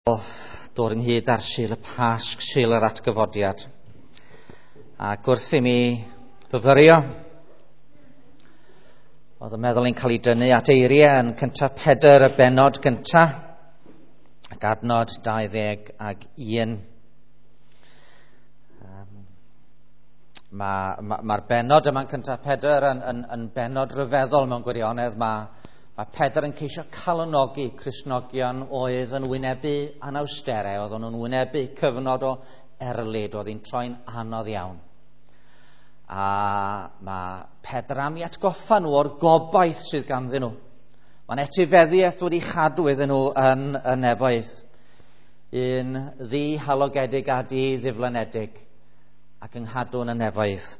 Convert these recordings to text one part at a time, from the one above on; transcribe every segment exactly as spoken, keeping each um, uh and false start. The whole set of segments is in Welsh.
Dod ynghyd ar Sul y Pasg, Sul yr Atgyfodiad. Ac wrth i mi fyfyrio, oedd y meddwl i'n cael ei dynnu at eiriau yn cyntaf Pedr y bennod gyntaf, ac adnod dau ddeg ag un. Mae'r ma, ma bennod yma'n cyntaf Pedr yn, yn, yn bennod ryfeddol mewn gwirionedd. Mae Mae Pedr yn ceisio calonogi Cristnogion oedd yn wynebu anawsterau, oedd nhw'n wynebu cyfnod o erlid, oedd hi'n troi'n anodd iawn. A mae Pedr am i atgoffa nhw o'r gobaith sydd ganddyn nhw. Mae'n etifeddiaeth wedi chadw iddyn nhw yn y nefoedd. Un ddihalogedig a di-ddiflanedig ac yng nghadw yn y nefoedd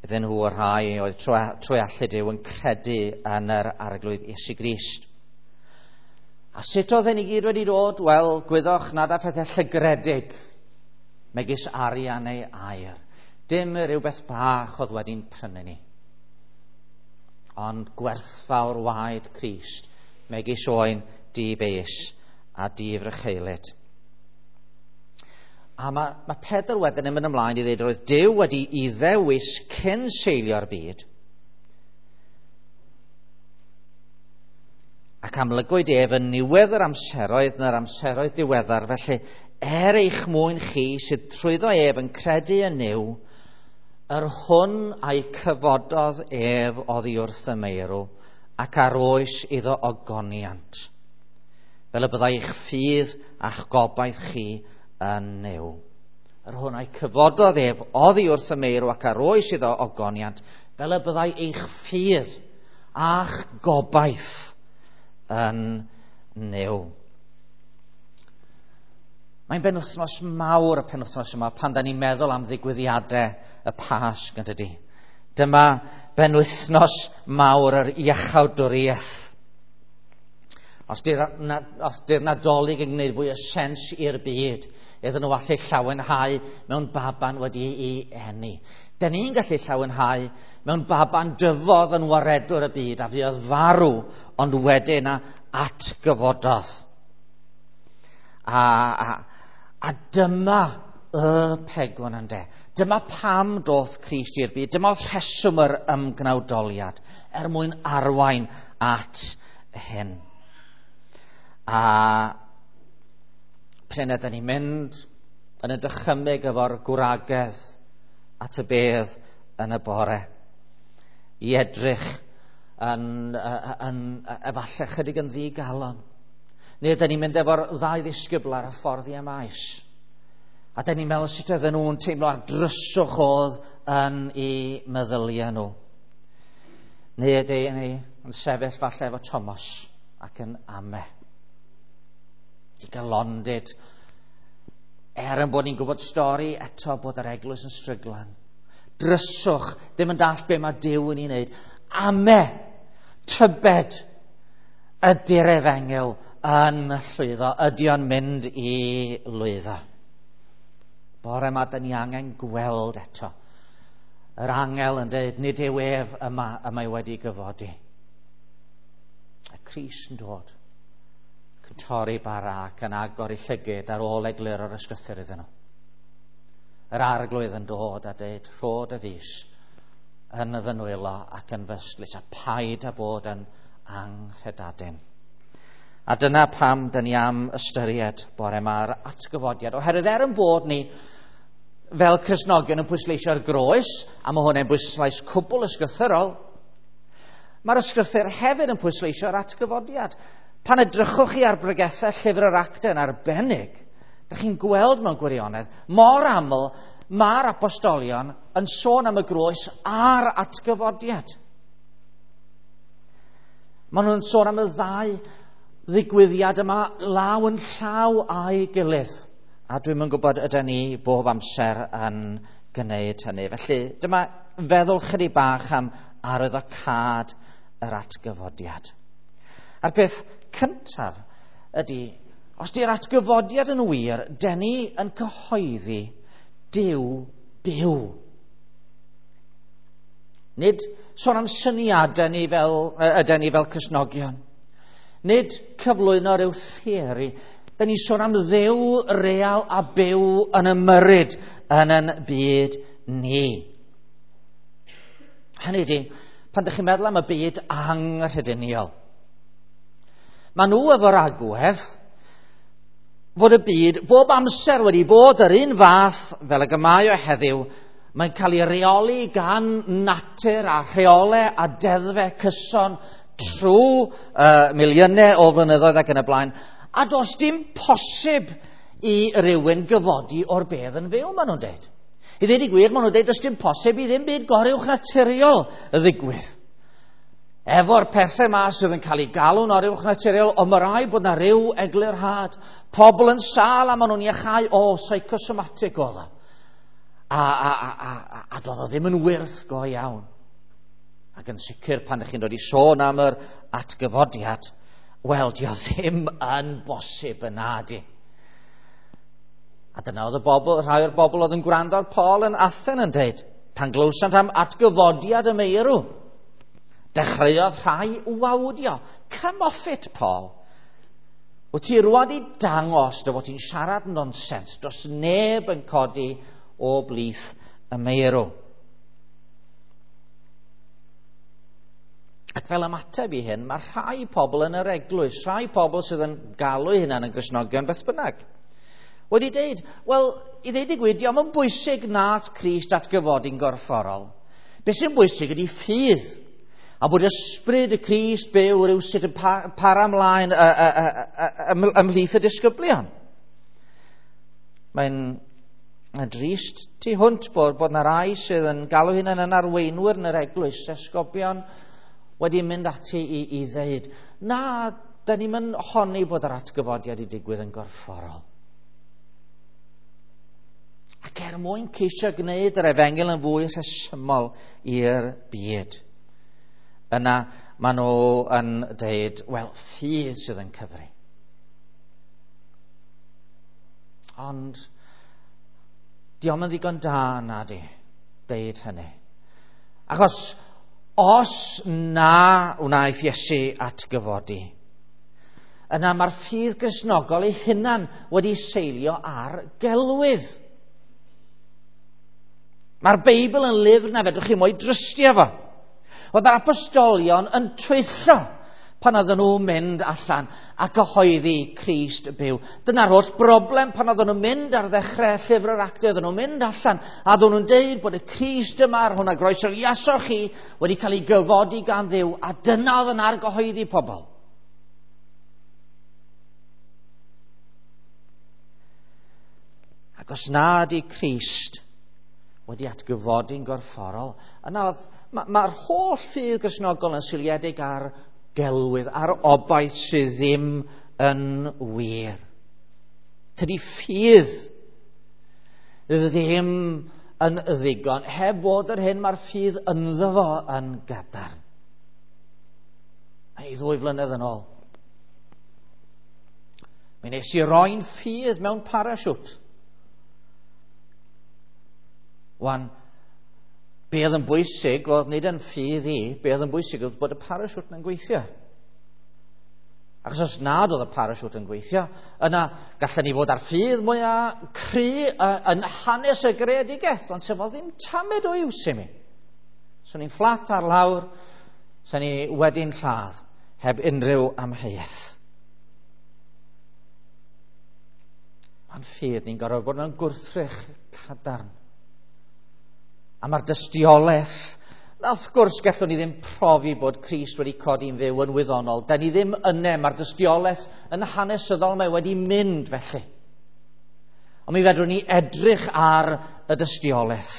iddyn nhw y rhai oedd trwy allu Duw yn credu yn yr Arglwydd Iesu Grist. A sut oedd hyn i gyd wedi dod? Wel, gwyddoch nad â phethau llygredig, megis arian neu aur. Dim rhywbeth bach oedd wedi'n prynu ni. Ond gwerthfawr waed Crist, megis oen di-fes a di-frycheulyd. A mae, mae Pedr wedyn yn mynd ymlaen i ddweud roedd Duw wedi i ddewis cyn seilio'r byd. Ac amlygwyd ef yn niwedd yr amseroedd na'r amseroedd diweddar. Felly, er eich mwyn chi sydd trwyddo ef yn credu yn Nuw, yr hwn a'i cyfododd ef oddi wrth y meirw ac ar oes iddo ogoniant. Fel y byddai eich ffydd a'ch gobaith chi yn Nuw. Yr hwn a'i cyfododd ef oddi wrth y meirw ac ar oes iddo ogoniant, fel y byddai eich ffydd a'ch gobaith yn Nuw. Mae'n benwythnos mawr y penwythnos yma pan da ni'n meddwl am ddigwyddiadau y Pasg, yn dydi? Dyma benwythnos mawr yr iachawdwriaeth. Os di'r Nadolig yn gwneud fwy o sens i'r byd, iddyn nhw allu llawenhau mewn baban wedi'i eni. Dan ni'n gallu llawenhau mewn baban dyfodd yn waredwr y byd a fuodd farw, ond wedyn a atgyfododd. A, a, a dyma y pegwn ynde. Dyma pam doth Crist i'r byd. Dyma oedd rheswm yr ymgnawdoliad er mwyn arwain at hyn. A prin ydyn ni'n mynd yn y dychymyg efo'r gwragedd at y bedd yn y bore i edrych yn, yn, yn, efallai chydig yn ddigalon. Neu ydyn ni'n mynd efo'r ddau ddisgybl ar y ffordd i Emaus. A dyn ni'n meddwl sut oedden nhw'n teimlo ar dryswch oedd yn eu meddyliau nhw. Neu ydyn ni yn sefyll falle efo Thomas ac yn ame. Digalondid, er yn bod ni'n gwybod stori eto bod yr eglwys yn stryglan. Dryswch, ddim yn dallt be mae Duw yn ei wneud. Ame, tybed, ydy'r efengyl yn llwyddo, ydy o'n mynd i lwyddo. Bore yma, dyn ni angen gweld eto. Yr angel yn dweud, nid yw ef yma y mae wedi gyfodi. Y Crist yn dod. Yn torri bara ac yn agor ei llygyd ar ôl egluro'r ysgrythur iddyn nhw. Yr Arglwydd yn dod a dweud, rho dy fys yn fy nwylo ac yn fy ystlys, a paid â bod yn anghredadun. A dyna pam dyn ni am ystyried bore yma'r atgyfodiad. Oherwydd er yn bod ni fel Cristnogion yn pwysleisio'r groes, a mae hwnna'n bwyslais cwbl ysgrythurol, mae'r ysgrythur hefyd yn pwysleisio'r atgyfodiad. Pan edrychwch chi ar bregethau llyfr yr Actau yn arbennig, dych chi'n gweld mewn gwirionedd, mor aml mae'r apostolion yn sôn am y groes a'r atgyfodiad. Maen nhw'n sôn am y ddau ddigwyddiad yma law yn llaw â'i gilydd. A dwi'm yn gwybod ydyn ni bob amser yn gwneud hynny. Felly dyma feddwl chydig bach am arwyddocâd yr atgyfodiad. A'r peth cyntaf ydy, os di'r atgyfodiad yn wir, dyn ni yn cyhoeddi Duw byw. Nid sôn am syniadau ni fel, ydyn ni fel Cristnogion. Nid cyflwyno rhyw theori. Da ni'n sôn am Dduw real a byw yn ymyrryd yn yn byd ni. Hynny ydi, pan ydych chi'n meddwl am y byd anghrediniol, maen nhw efo'r agwedd fod y byd bob amser wedi bod yr un fath fel y mae o heddiw. Mae'n cael ei reoli gan natur a rheolau a deddfau cyson trwy uh, miliynau o flynyddoedd ac yn y blaen. A does dim posib i rywun gyfodi o'r bedd yn fyw, maen nhw'n dweud. I ddweud y gwir, maen nhw'n dweud does dim posib i ddim byd goruwch naturiol ddigwydd. Efo'r pethau yma sydd yn cael ei galw'n oruwch naturiol, ond mae rhaid bod na ryw eglurhad. Pobl yn sâl a maen nhw'n iachau, o, psychosomatic oedd o. A, a, a, a, a, a doedd o ddim yn wyrth go iawn. Ac yn sicr pan ydych chi'n dod i sôn am yr atgyfodiad, wel, dio ddim yn bosib yna di. A dyna oedd y bobl, rhai o'r bobl oedd yn gwrando ar Paul yn Athen yn dweud, pan glywsant am atgyfodiad y meirw, dechreuodd rhai wawdio. Come off it, Paul. Wyt ti rwan i dangos dy fod ti'n siarad nonsens. Does neb yn codi o blith y meirw. Ac fel ymateb i hyn, mae rhai pobl yn yr eglwys, rhai pobl sydd yn galw eu hunain yn Gristnogion beth bynnag, wedi deud, wel, i ddeud y gwir, dio'm yn bwysig nath Crist atgyfodi'n gorfforol. Be sy'n bwysig ydy ffydd, a bod ysbryd y Crist byw rywsut yn para ymlaen ymhlith y disgyblion. Mae'n drist tu hwnt bod, bod na rai sydd yn galw hunain yn arweinwyr yn yr eglwys, esgobion, wedi mynd ati i, i ddeud, na, da ni'n mynd honni bod yr atgyfodiad i digwydd yn gorfforol. Ac er mwyn ceisio gwneud yr efengyl yn fwy rhesymol i'r byd, yna maen nhw yn deud, wel, ffydd sydd yn cyfri. Ond dio'm yn ddigon da na di, deud hynny. Achos os na wnaeth Iesu atgyfodi, yna mae'r ffydd Gristnogol ei hunan wedi seilio ar gelwydd. Mae'r Beibl yn lyfr na fedrwch chi mo'i drystio fo. Oedd yr apostolion yn twyllo pan oedden nhw'n mynd allan a cyhoeddi Crist byw. Dyna'r holl broblem pan oedden nhw'n mynd ar ddechrau llyfr yr Actau, oedden nhw'n mynd allan a oedden nhw'n deud bod y Crist yma, ar hwnna groeso iasoch chi, wedi cael ei gyfodi gan Dduw, a dyna oedd yn argyhoeddi pobl. Ac os na ydi Crist wedi atgyfodi'n gorfforol, yna oedd, mae'r ma holl ffydd Gristnogol yn seiliedig ar gelwydd, ar obaith sydd ddim yn wir. Tydi ffydd ddim yn ddigon, heb fod yr hyn mae'r ffydd ynddo fo yn gadarn. Ei ddwy flynedd yn ôl, mi nes i roi'n ffydd mewn parasiwt. Wan, be oedd yn bwysig oedd nid yn ffydd i, be oedd yn bwysig oedd bod y parasiwt yn gweithio. Achos os nad oedd y parasiwt yn gweithio, yna gallen ni fod ar ffydd mwyaf cry yn hanes y greadigaeth, ond sef oedd ddim tamed o iws i mi. So ni'n fflat ar lawr, so ni wedi'n lladd, heb unrhyw amheuaeth. Mae'n ffydd ni'n gorfod bod mewn gwrthrych cadarn. A mae'r dystiolaeth, na wrth gwrs gallwn ni ddim profi bod Crist wedi codi'n fyw yn wyddonol. Da ni ddim yna, mae'r dystiolaeth yn hanesyddol, mae wedi mynd felly. Ond mi fedrwn ni edrych ar y dystiolaeth.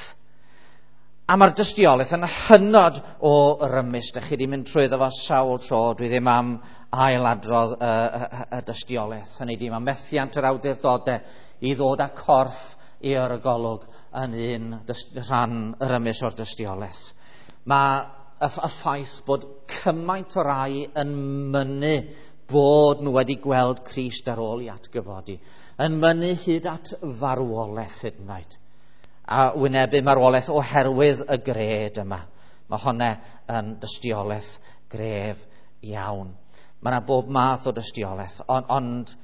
A mae'r dystiolaeth yn hynod o rymus. Da chi wedi mynd trwyddo fo sawl tro, dwi ddim am ailadrodd y, y, y dystiolaeth. Hynny ydi, mae methiant yr awdurdodau i ddod â corff i'r golwg yn un rhan rymus o'r dystiolaeth. Mae y, y ffaith bod cymaint o rai yn mynnu bod nhw wedi gweld Crist ar ôl i atgyfodi, yn mynnu hyd at farwolaeth hyd yn oed, a wynebu marwolaeth oherwydd y gred yma. Mae hwnna yn dystiolaeth gref iawn. Mae yna bob math o dystiolaeth, ond, ond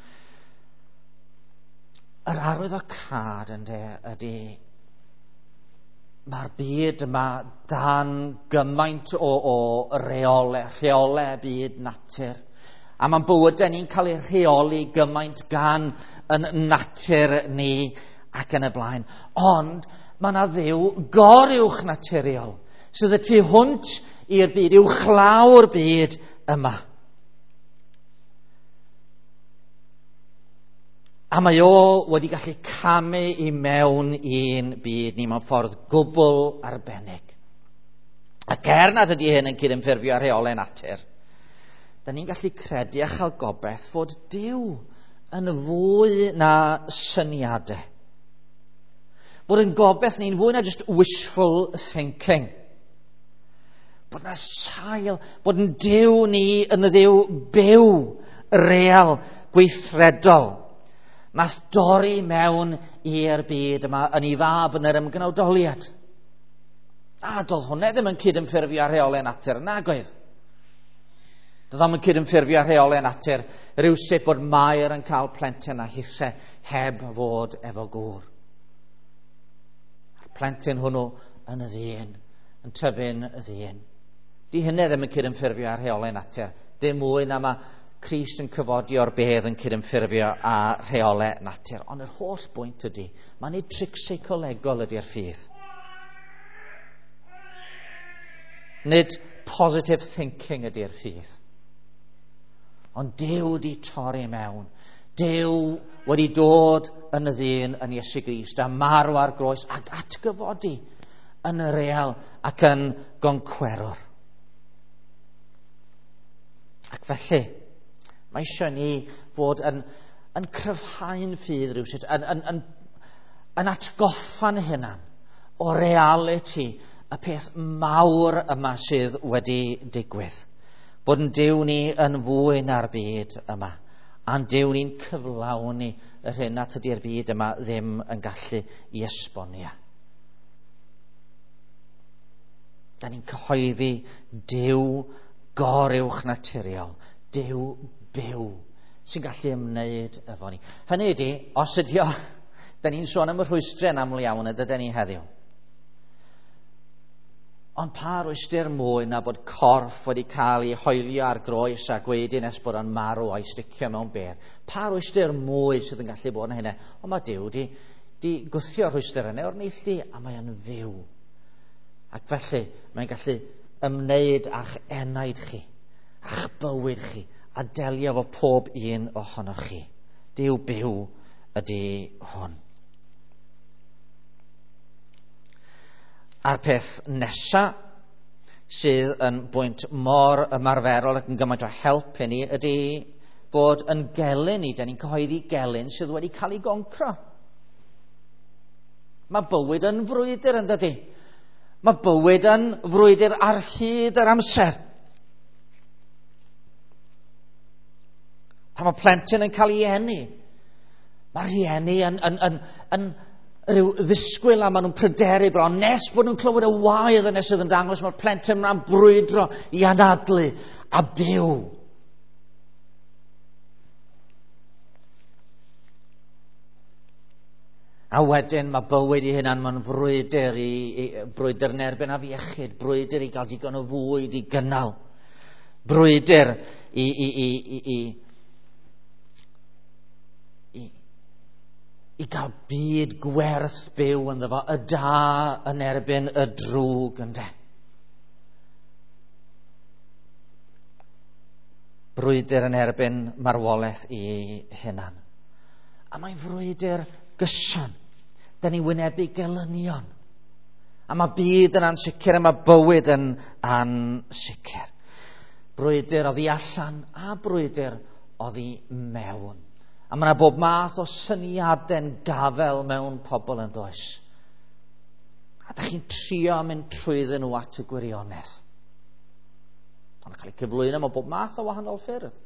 Yr arwyddocâd ynde ydy mae'r byd yma dan gymaint o, o reole, rheole byd natur. A mae'n bywydau ni'n cael ei rheoli gymaint gan yn natur ni ac yn y blaen. Ond mae yna Dduw goruwch naturiol sydd y tu hwnt i'r byd, uwchlaw'r byd yma. A mae o wedi gallu camu i mewn i'n byd ni mewn ffordd gwbl arbennig. Ac er nad ydy hyn yn cydymffurfio â rheolau natur, da ni'n gallu credu a chael gobaith fod Duw yn fwy na syniadau. Bod yn gobaith ni'n fwy na just wishful thinking. Bod na sail, bod yn Duw ni yn y Dduw byw, real, gweithredol. Nath dorri mewn i'r byd yma yn ei fab yn yr ymgnawdoliad. A doedd hwnna ddim yn cydymffurfio â rheolau natur, nag oedd. Doedd o'm yn cydymffurfio â rheolau natur rywsut bod Mair yn cael plentyn a hithe heb fod efo gŵr. A'r plentyn hwnnw yn y ddyn, yn tyfu'n y ddyn. Di hynny ddim yn cydymffurfio â rheolau natur. Dim mwy na mae Crist yn cyfodi o'r bedd yn cydymffurfio â rheolau natur. Ond yr holl bwynt ydy, mae'n nid tric seicolegol ydy'r ffydd. Nid positive thinking ydy'r ffydd. Ond Duw wedi torri mewn. Duw wedi dod yn y ddyn yn Iesu Grist a marw ar groes ac atgyfodi yn y real ac yn goncwerwr. Ac felly, mae eisiau ni fod yn, yn cryfhau'n ffydd rhywsut, yn, yn, yn, yn atgoffa'n hunan o realiti y peth mawr yma sydd wedi digwydd. Bod yn Duw ni yn fwy na'r byd yma, a'n Duw ni'n cyflawni yr hyn nad ydy'r byd yma ddim yn gallu i esbonio. Da ni'n cyhoeddi Duw goruwch naturiol, Duw byw, sy'n gallu ymwneud efo ni. Hynny ydy, os ydy o, da ni'n sôn am y rhwystrau yn aml iawn y dydyn ni heddiw. Ond pa rwystr mwy na bod corff wedi cael ei hoelio ar groes a gweud nes bod o'n marw a'i sticio mewn bedd? Pa rwystr mwy sydd yn gallu bod yn hynny? Ond mae Duw di, di gwthio rhwystr yna o'r neilltu a mae o'n fyw. Ac felly mae'n gallu ymwneud â'ch enaid chi, a'ch bywyd chi, a delio efo pob un ohonoch chi. Duw byw ydy hwn. A'r peth nesa sydd yn bwynt mor ymarferol ac yn gymaint o help i ni ydy bod yn gelyn ni, da ni'n cyhoeddi gelyn sydd wedi cael ei goncro. Mae bywyd yn frwydr yn dydy. Mae bywyd yn frwydr ar hyd yr amser. Pan mae plentyn yn cael ei eni, mae rhieni yn, yn, yn, yn rhyw ddisgwyl a maen nhw'n pryderu bron nes bod nhw'n clywed y waedd yna sydd yn dangos mae'r plentyn yna'n brwydro i anadlu a byw. A wedyn mae bywyd i hunan, mae'n frwydr i, i brwydr yn erbyn afiechyd, brwydr i gael digon o fwyd i gynnal, brwydr i, i, i, i, i i gael byd gwerth byw ynddo fo, y da yn erbyn y drwg ynde. Brwydr yn erbyn marwolaeth i hunan. A mae'n frwydr gyson. Da ni wynebu gelynion. A mae byd yn ansicr a mae bywyd yn ansicr. Brwydr oddi allan a brwydr oddi mewn. A mae yna bob math o syniadau'n gafel mewn pobl yn does. A da chi'n trio mynd trwyddyn nhw at y gwirionedd. Ond cael ei cyflwyno mewn bob math o wahanol ffyrdd.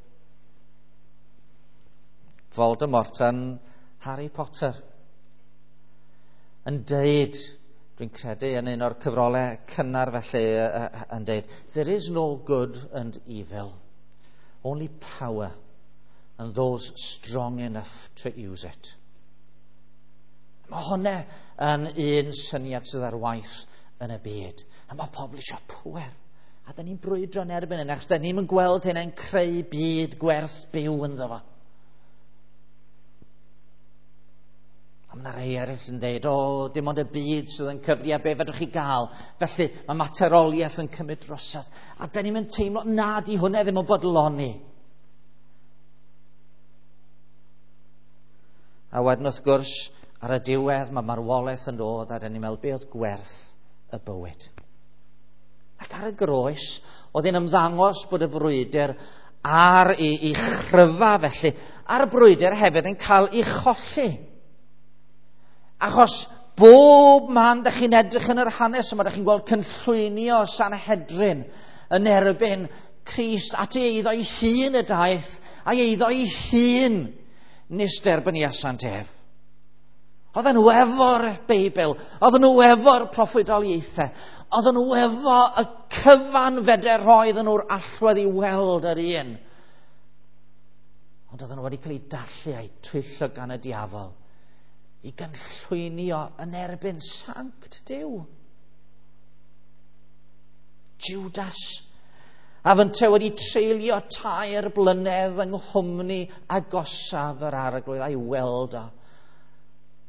Voldemort yn Harry Potter yn deud, dwi'n credu yn un o'r cyfrolau cynnar felly, yn deud, there is no good and evil, only power and those strong enough to use it. Mae hwnna yn un syniad sydd ar waith yn y byd. A mae pobl eisiau pŵer. A da ni'n brwydro yn erbyn hynny, achos da ni'n gweld hynny'n creu byd gwerth byw ynddo fo. A mae yna rhai eraill yn dweud, o, dim ond y byd sydd yn cyfri a be fedrwch chi gael. Felly mae materoliaeth yn cymryd drosodd. A da ni'n teimlo, na, di hwnna ddim yn bodloni. A wedyn wrth gwrs, ar y diwedd mae marwolaeth yn dod a da ni'n meddwl, be oedd gwerth y bywyd? Ac ar y groes, oedd hi'n ymddangos bod y frwydr ar ei, ei chryfa felly, a'r brwydr hefyd yn cael ei cholli. Achos bob man dych chi'n edrych yn yr hanes yma, dych chi'n gweld cynllwynio Sanhedrin yn erbyn Crist at ei eiddo ei hun y daeth, a'i eiddo ei hun nes derbyniasant ef. Oedden nhw efo'r Beibl, oedden nhw efo'r proffwydoliaethau, oedden nhw efo y cyfan fedr roedden nhw'r allwedd i weld yr un. Ond oedden nhw wedi cael eu dallu a'u twyllo gan y diafol i gynllwynio yn erbyn sanct Duw. Judas, a fynte wedi treulio tair blynedd yng nghwmni agosaf yr arglwydd a'i weld o,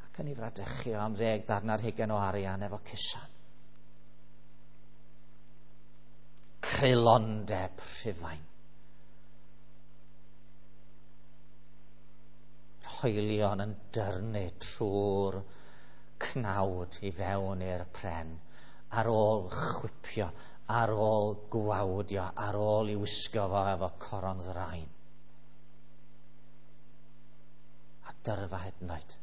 ac yn ei fradychu am ddeg darn ar hugain o arian efo cusan. Creulondeb Rhufain. Hoelion yn dyrnu trwy'r cnawd i fewn i'r pren, ar ôl chwipio, ar ôl gwawdio, ar ôl i wisgo fo efo coron ddrain. A dyrfa hyd yn oed.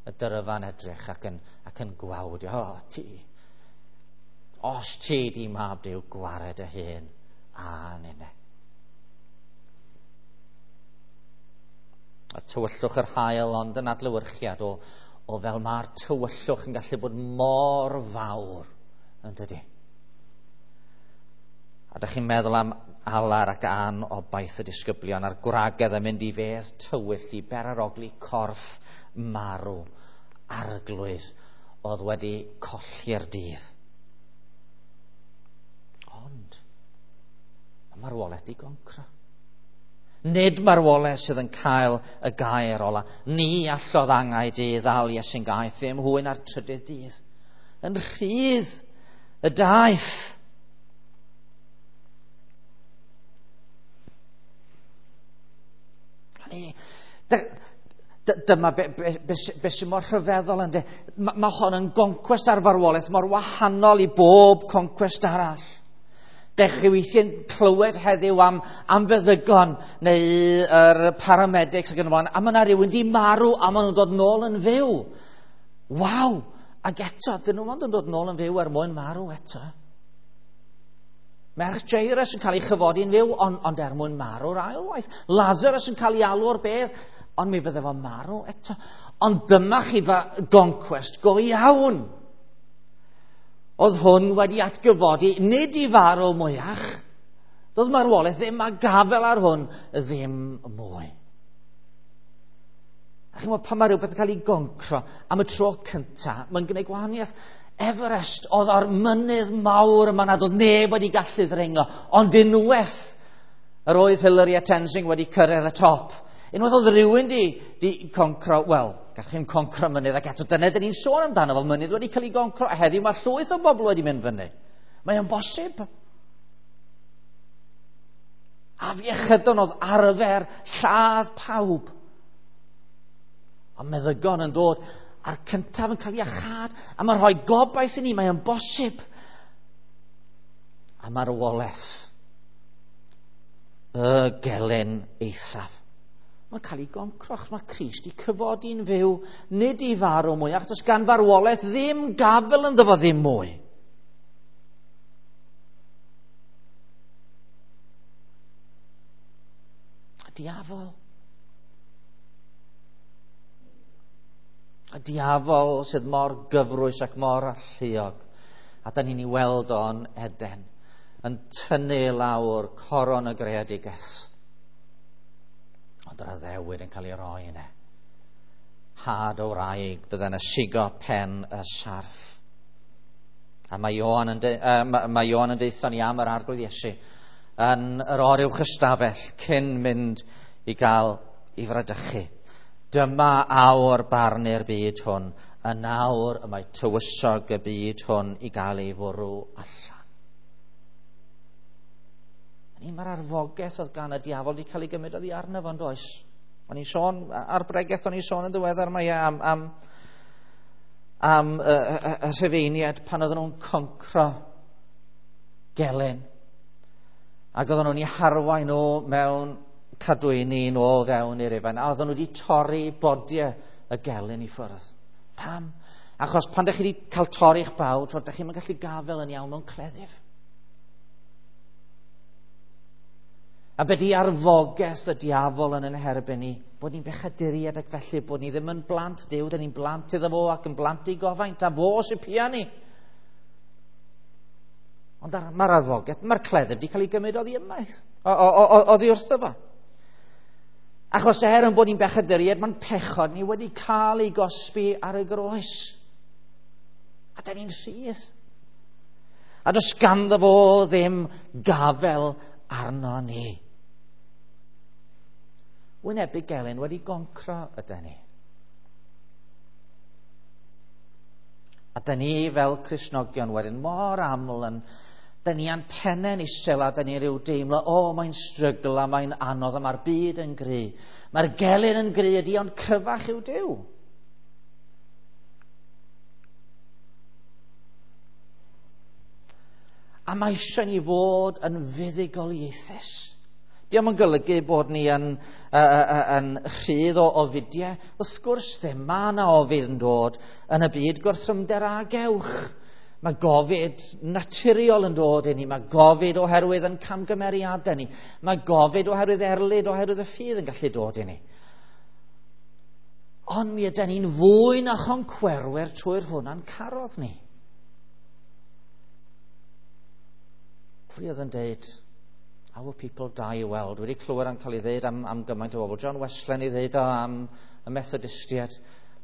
Y dyrfa'n edrych ac yn, ac yn gwawdio. O, ti, os ti di mab Duw, gwared y hun a ninne. A tywyllwch yr haul ond yn adlewyrchiad o, o fel mae'r tywyllwch yn gallu bod mor fawr, yn dydi? A dych chi'n meddwl am alar ac anobaith y disgyblion a'r gwragedd yn mynd i fedd tywyll i berarogli corff marw arglwydd oedd wedi colli'r dydd. Ond mae marwolaeth di goncro. Nid marwolaeth sydd yn cael y gair ola. Ni allodd angau di ddal Iesu'n gaeth ddim hwy na'r trydydd dydd. Yn rhydd y daeth. Dyma be, be, be, be sy'n mor rhyfeddol ynddo. Mae ma hon yn goncwest ar farwolaeth mor wahanol i bob concwest arall. Dech chi weithiau'n clywed heddiw am, am feddygon neu yr paramedics ac yn y blaen, a mae yna rhywun di marw a maen nhw'n dod nôl yn fyw. Waw! Ac eto, dyn nhw ond yn dod nôl yn fyw er mwyn marw eto. Merch Jairus yn cael ei chyfodi'n fyw, ond, ond er mwyn marw'r ail waith. Lazarus yn cael ei alw o'r bedd, ond mi fydde fo'n marw eto. Ond dyma chi fa goncwest go iawn. Oedd hwn wedi atgyfodi, nid i farw mwyach. Doedd marwolaeth ddim a gafel ar hwn ddim mwy. A chi'n gwybod, pan mae rhywbeth yn cael ei goncro am y tro cyntaf, mae'n gwneud gwahaniaeth. Everest oedd o'r mynydd mawr yma nad oedd neb wedi gallu ddringo, ond unwaith yr oedd Hillary a Tenzing wedi cyrraedd y top. Unwaith oedd rhywun di, di concro, wel, gallwch chi'n concro mynydd, ac eto dyna dyn ni'n sôn amdano fel mynydd wedi cael ei goncro, a heddiw mae llwyth o bobl wedi mynd fyny. Mae o'n bosib. Afiechydon oedd arfer lladd pawb. Ond meddygon yn dod, a'r cyntaf yn cael ei iachâd, a mae'n rhoi gobaith i ni, mae o'n bosib. A marwolaeth, y gelyn eithaf. Mae'n cael ei goncro, achos mae Crist i cyfodi'n fyw, nid i farw mwy, achos gan farwolaeth ddim gafel ynddo fo ddim mwy. Y diafol. Y diafol sydd mor gyfrwys ac mor alluog, a da ni'n ei weld o'n Eden, yn tynnu lawr coron y greadigaeth. Ond yr addewid yn cael ei roi yna. Had o wraig bydde'n ysigo pen y sarff. A mae Ioan yn, de, uh, mae Ioan yn deutha ni am yr Arglwydd Iesu yn yr oruwch ystafell cyn mynd i gael ei fradychu. Dyma awr barnu'r byd hwn, yn awr y mae tywysog y byd hwn i gael ei fwrw allan. Ni mae'r arfogaeth oedd gan y diafol wedi cael ei gymryd oddi arno fo, yn does? O'n i'n sôn, ar bregeth o'n i'n sôn yn ddiweddar mae e am, am, am y, y, y Rhufeiniaid pan oedden nhw'n concro gelyn. Ac oedden nhw'n eu harwain nhw mewn cadwyni nôl fewn i'r Rufain. A oedden nhw wedi torri bodiau y gelyn i ffwrdd. Pam? Achos pan ydych chi wedi cael torri'ch bawd, ydych chi'n gallu gafel yn iawn mewn cleddyf. A be di arfogaeth y diafol yn yn herbyn ni? Bod ni'n bechaduriaid ac felly bod ni ddim yn blant Duw, dyn ni'n blant iddo fo ac yn blant i gofaint, a fo sy'n pia ni. Ond mae'r arfogaeth, mae'r cleddyf wedi cael ei gymryd oddi ymaith, oddi wrtho fo. Achos er yn bod ni'n bechaduriaid, mae'n pechod ni wedi cael ei gosbi ar y groes. A dyn ni'n rhydd. A does ganddo fo ddim gafel arno ni. Wynebu gelyn wedi goncro ydy ni. A dyn ni fel Cristnogion wedyn mor aml yn, dyn ni a'n pennau'n isel a dyn ni rhyw deimlo, o, oh, mae'n strygl a mae'n anodd a mae'r byd yn gry. Mae'r gelyn yn gry ydi, ond cryfach yw Duw. A mae eisiau ni fod yn fuddugoliaethus. Dio'm yn golygu bod ni yn, uh, uh, yn rhydd o ofidiau. Wrth gwrs ddim, mae yna ofid yn dod yn y byd gwrthrymder a gewch. Mae gofid naturiol yn dod i ni. Mae gofid oherwydd yn camgymeriadau ni. Mae gofid oherwydd erlid, oherwydd y ffydd yn gallu dod i ni. Ond mi ydy ni'n fwy na choncwerwyr trwy'r hwnna'n carodd ni. Pwy oedd yn deud, our people die well. Dwi wedi clywed am cael ei ddeud am, am gymaint o bobl. John Wesley ei ddeud o am y Methodistiaid,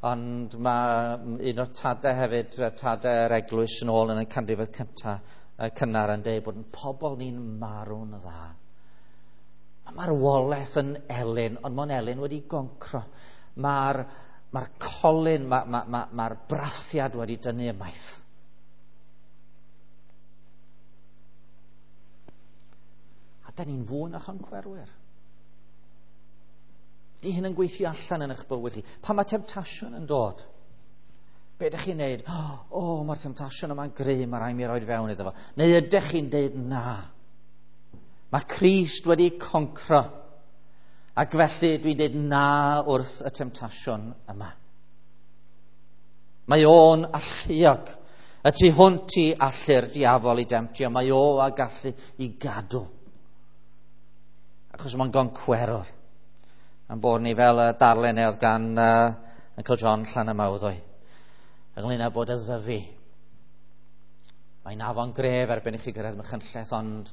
ond mae un o'r tadau hefyd, tadau'r eglwys yn ôl yn y canrifoedd cyntaf cynnar yn deud bod yn pobl ni'n marw'n dda. Mae marwolaeth yn elyn, ond mae'n elyn wedi goncro. Mae'r mae colyn, mae'r ma, ma, ma brathiad wedi dynnu ymaith. A da ni'n fwy na choncwerwyr. Di hyn yn gweithio allan yn eich bywyd chi. Pan mae temtasiwn yn dod, be ydych chi'n neud? O, oh, mae'r temtasiwn yma'n gry, mae rhaid mi roed fewn iddo fo. Neu ydych chi'n deud na? Mae Crist wedi concro. Ac felly dwi'n deud na wrth y temtasiwn yma. Mae o'n alluog. Y tu hwnt i allu'r diafol i demtio. Mae o a gallu i gadw. Achos mae'n goncwerwr. Am bod ni fel y darlun oedd gan uh, Uncle John Llanymawddwy. Ynglyn â bod y Ddyfi. Mae'n afon gref erbyn i chi gyrraedd Machynlleth, ond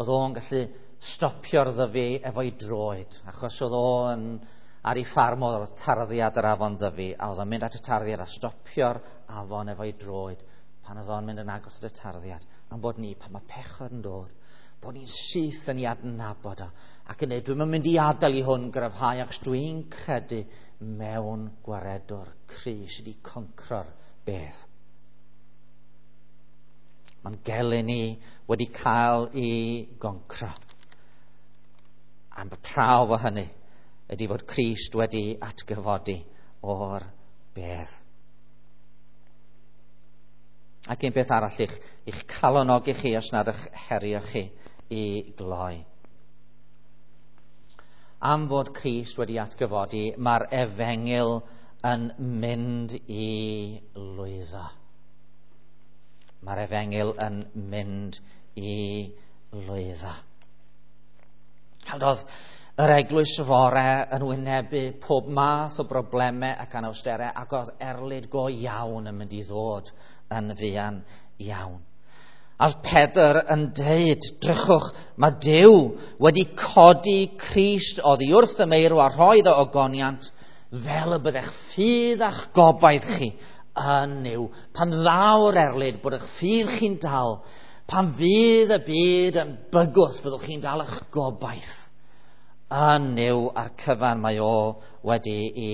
oedd o'n gallu stopio'r Ddyfi efo'i droed. Achos oedd o'n ar ei ffarm oedd tarddiad yr afon Ddyfi, a oedd o'n mynd at y tarddiad a stopio'r afon efo'i droed pan oedd o'n mynd yn agos at y tarddiad. Am bod ni, pan mae pechod yn dod, bod ni'n syth yn ei adnabod o, ac yn dweud, dwi'm yn mynd i adael i hwn gryfhau, achos dwi'n credu mewn gwaredwr cry sydd wedi concro'r beth. Mae'n gelyn ni wedi cael ei goncro. Am y prawf o hynny ydy fod Crist wedi atgyfodi o'r bedd. Ac un beth arall i'ch, i'ch calonogi chi os nad eich herio chi i gloi. Am fod Crist wedi atgyfodi, mae'r efengyl yn mynd i lwyddo. Mae'r efengyl yn mynd i lwyddo. Oedd yr eglwys fore yn wynebu pob math o broblemau ac anawsterau, ac oedd erlid go iawn yn mynd i ddod yn fuan iawn. A Pedr yn deud, drychwch, mae Duw wedi codi Crist oddi wrth y meirw a rhoi iddo ogoniant Fel y byddech ffydd a'ch gobaith chi yn Nuw. Pan ddaw'r erlid, bod eich ffydd chi'n dal. Pan fydd y byd yn bygwth, fyddwch chi'n dal eich gobaith yn Nuw a'r cyfan mae o wedi i,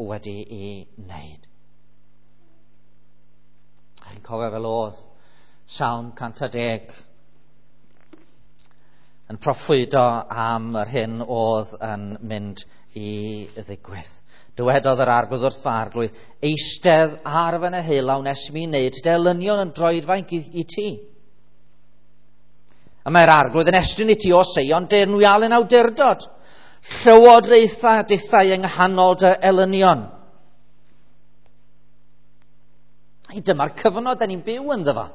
wedi i wneud. Chi'n cofio fel oedd Salm cant a deg yn proffwydo am yr hyn oedd yn mynd i ddigwydd. Dywedodd yr Arglwydd wrth fy Arglwydd, eistedd ar fy neheullaw nes mi wneud delynion yn droedfainc i, i ti. A mae'r Arglwydd yn estyn i ti o Seion deyrnwialen awdurdod. Llywodraetha dithau yng nghanol dy elynion. Ei, dyma'r cyfnod da ni'n byw ynddo fo.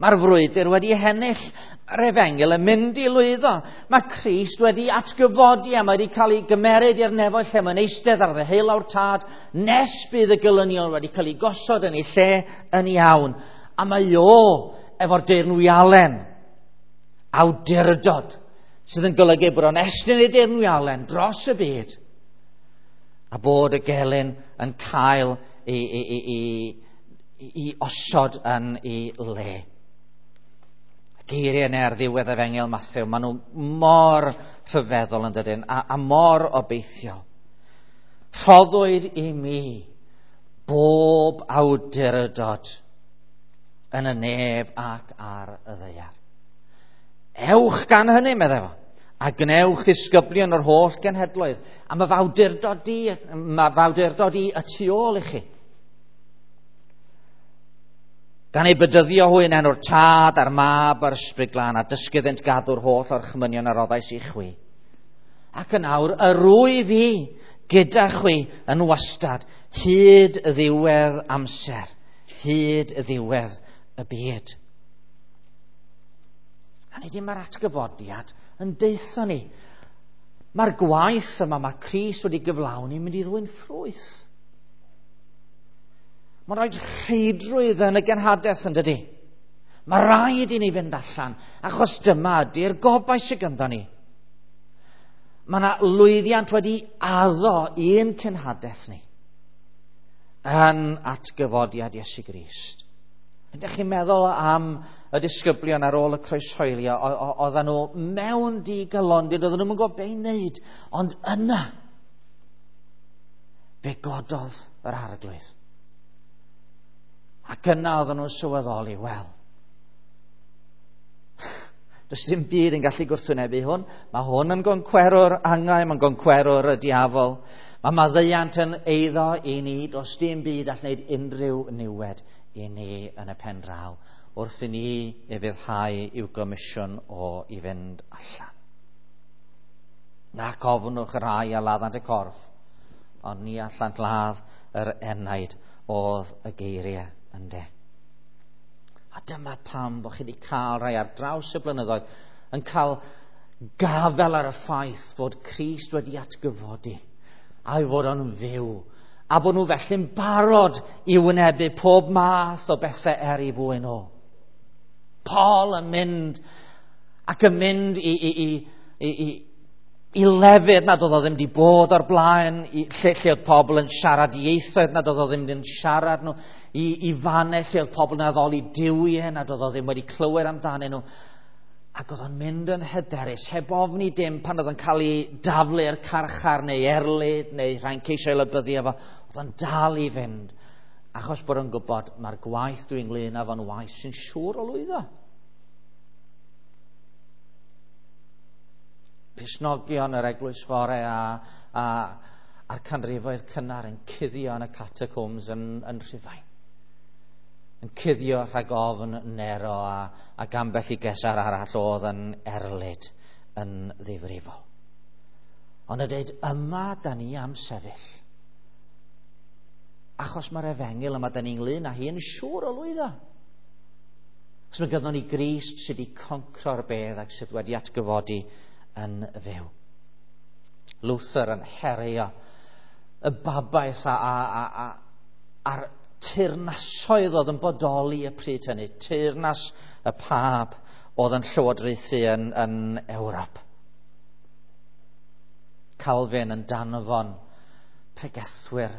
Mae'r frwydr wedi hennill, mae'r efengyl yn mynd i lwyddo. Mae Crist wedi atgyfodi a mae wedi cael ei gymeryd i'r nefoedd lle mae'n eistedd ar ddeheulaw'r Tad nes bydd y gelynion wedi cael ei gosod yn ei lle yn iawn. A mae o efo'r deyrnwialen awdurdod sydd yn golygu bod o'n estyn ei deyrnwialen dros y byd a bod y gelyn yn cael ei, ei, ei, ei, ei osod yn ei le. Geiriau yna ar ddiwedd Efengyl Mathew, maen nhw mor rhyfeddol yn dydyn, a, a mor obeithiol. Rhoddwyd i mi bob awdurdod yn y nef ac ar y ddaear. Ewch gan hynny, meddai fo, a gwnewch ddisgyblion o'r holl genhedloedd, a mae f'awdurdod i, mae f'awdurdod i y tu ôl i chi. Gan ei bedyddio hwy yn enw'r Tad a'r Mab a'r Ysbryd Glân, a dysgu iddynt gadw'r holl orchmynion a roddais i chwi. Ac yn awr, yr wyf fi gyda chwi yn wastad, hyd y ddiwedd amser, hyd y ddiwedd y byd. A nid mae'r atgyfodiad yn deutho ni. Mae'r gwaith yma mae Crist wedi gyflawni mynd i ddwyn ffrwyth. Mae'n rhaid rheidrwydd yn y genhadaeth yn dydy. Mae rhaid i ni fynd allan, achos dyma ydy'r gobaith sydd ganddo ni. Mae yna lwyddiant wedi addo i'n cenhadaeth ni yn atgyfodiad Iesu Grist. Ydych chi'n meddwl am y disgyblion ar ôl y croeshoelio, oedden nhw mewn digalondid, oedden nhw'n gwybod be i wneud, ond yna fe gododd yr Arglwydd. Ac yna oedden nhw'n sylweddoli, wel, does dim byd yn gallu gwrthwynebu hwn. Mae hwn yn goncwerwr angau, mae'n goncwerwr y diafol. Mae maddeuant yn eiddo i ni, does dim byd all wneud unrhyw niwed i ni yn y pen draw, wrth i ni ufuddhau i'w gomisiwn o i fynd allan. Nac ofnwch y rhai a laddant y corff, ond ni allant ladd yr enaid oedd y geiriau ynde. A dyma pam bod chi wedi cael rhai ar draws y blynyddoedd yn cael gafel ar y ffaith fod Crist wedi atgyfodi a'i fod o'n fyw, a bod nhw felly'n barod i wynebu pob math o bethau er i fwyn o. Paul yn mynd ac yn mynd i, i, i, i, i, i lefydd nad oedd o ddim wedi bod o'r blaen, i, lle, lle oedd pobl yn siarad ieithoedd nad oedd o ddim yn siarad nhw, i, i fannau lle oedd pobl yn addoli duwiau nad oedd o ddim wedi clywed amdanyn nhw. Ac oedd o'n mynd yn hyderus, heb ofni dim pan oedd o'n cael ei daflu i'r carchar neu erlid neu rhai'n ceisio ei lybyddu efo. Oedd o'n dal i fynd, achos bod o'n gwybod mae'r gwaith dwi'n ynglyn â fo'n waith sy'n siŵr o lwyddo. Cristnogion yr eglwys fore a, a, a'r canrifoedd cynnar yn cuddio yn y catacombs yn, yn Rhufain. Yn cuddio rhag ofn Nero a, ac ambell i gesar arall oedd yn erlid yn ddifrifol. Ond y dweud, yma da ni am sefyll. Achos mae'r efengyl yma da ni'n ynglyn â hi yn siŵr o lwyddo. Os mae gynnon ni Grist sydd wedi concro'r bedd ac sydd wedi atgyfodi yn fyw. Luther yn herio y babaeth a, a, a, a, a'r teyrnasoedd oedd yn bodoli y pryd hynny, teyrnas y pab oedd yn llywodraethu yn, yn Ewrop. Calvin yn danfon pregethwyr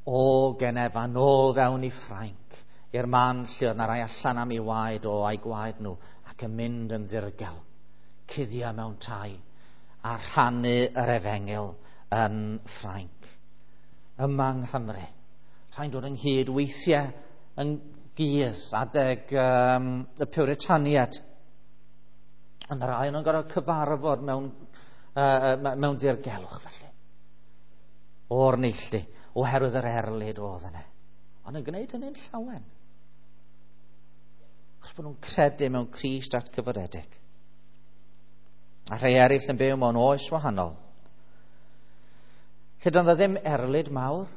o Genefa nôl fewn i Ffrainc, i'r man lle oedd 'na rai allan am ei waed o a'i gwaed nhw, ac yn mynd yn ddirgel, cuddio mewn tai, a rhannu yr efengyl yn Ffrainc. Yma yng Nghymru, rhaid dod ynghyd weithiau yn gudd adeg um, y Puritaniad. Ond rai nhw'n gorfod cyfarfod mewn, uh, mewn dirgelwch felly. O'r neilltu, oherwydd yr erlid oedd yna. Ond yn gwneud hynny'n llawen. Achos bod nhw'n credu mewn Crist atgyfodedig. A rhai eraill yn byw mewn oes wahanol. Lle doedd ddim erlid mawr.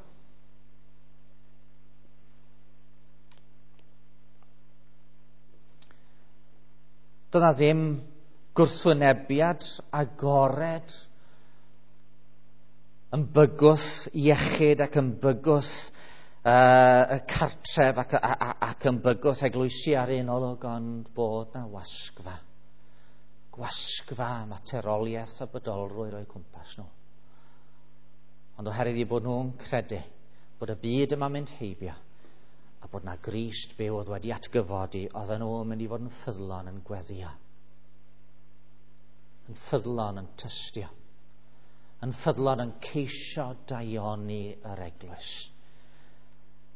Doedd 'na ddim gwrthwynebiad agored yn bygwth iechyd ac yn bygwth uh, y cartref ac, a, a, ac yn bygwth eglwysi ar un olwg, ond bod na wasgfa. Gwasgfa materoliaeth a bodolrwydd o'u cwmpas nhw. Ond oherwydd eu bod nhw'n credu bod y byd yma'n mynd heibio a bod na Grist byw oedd wedi atgyfodi, oedden nhw'n mynd i fod yn ffyddlon yn gweddio, yn ffyddlon yn tystio, yn ffyddlon yn ceisio daioni yr eglwys,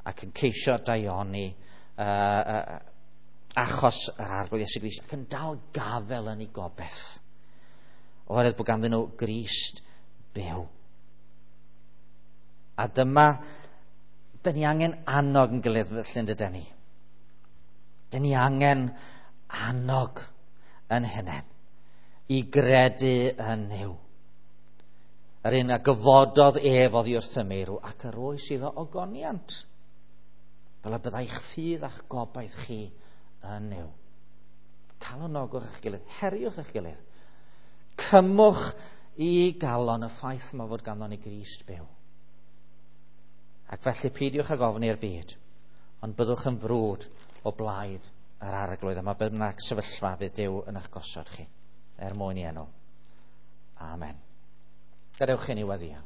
ac yn ceisio daioni uh, uh, achos yr Arglwydd Iesu Grist, ac yn dal gafel yn ei gobaith, oherwydd bod ganddyn nhw Grist byw. A dyma, dyn ni angen annog yn gilydd felly, yn dydyn ni. Dyn ni angen annog yn hunain i gredu yn Nuw. Yr un a gyfododd ef oddi wrth y meirw ac yr oes iddo ogoniant, fel y byddai'ch ffydd a'ch gobaith chi yn Nuw. Calonogwch eich gilydd, heriwch eich gilydd. Cymwch i galon y ffaith yma fod ganddo ni Grist byw. Ac felly peidiwch ag ofni'r byd, ond byddwch yn frwd o blaid yr Arglwydd. A mae bynnag sefyllfa fydd Duw yn eich gosod chi, er mwyn i enw. Amen. Gadewch i ni weddïo.